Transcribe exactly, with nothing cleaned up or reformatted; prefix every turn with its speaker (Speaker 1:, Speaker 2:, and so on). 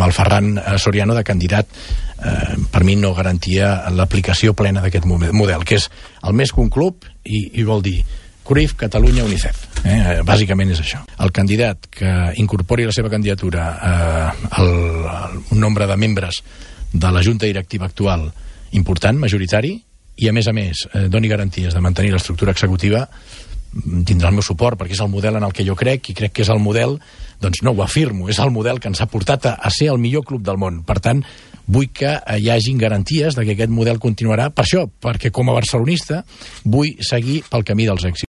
Speaker 1: amb el Ferran Soriano de candidat, eh, per mi no garantia l'aplicació plena d'aquest model, que és el més que un club i, i vol dir Cruyff, Catalunya, UNICEF. Eh? Bàsicament és això. El candidat que incorpori la seva candidatura eh, el, el, un nombre de membres de la junta directiva actual important, majoritari, i a més a més eh, doni garanties de mantenir l'estructura executiva, tindrà el meu suport, perquè és el model en el que jo crec, i crec que és el model, doncs no ho afirmo, és el model que ens ha portat a, a ser el millor club del món. Per tant, vull que hi hagin garanties de que aquest model continuarà, per això, perquè com a barcelonista vull seguir pel camí dels èxits.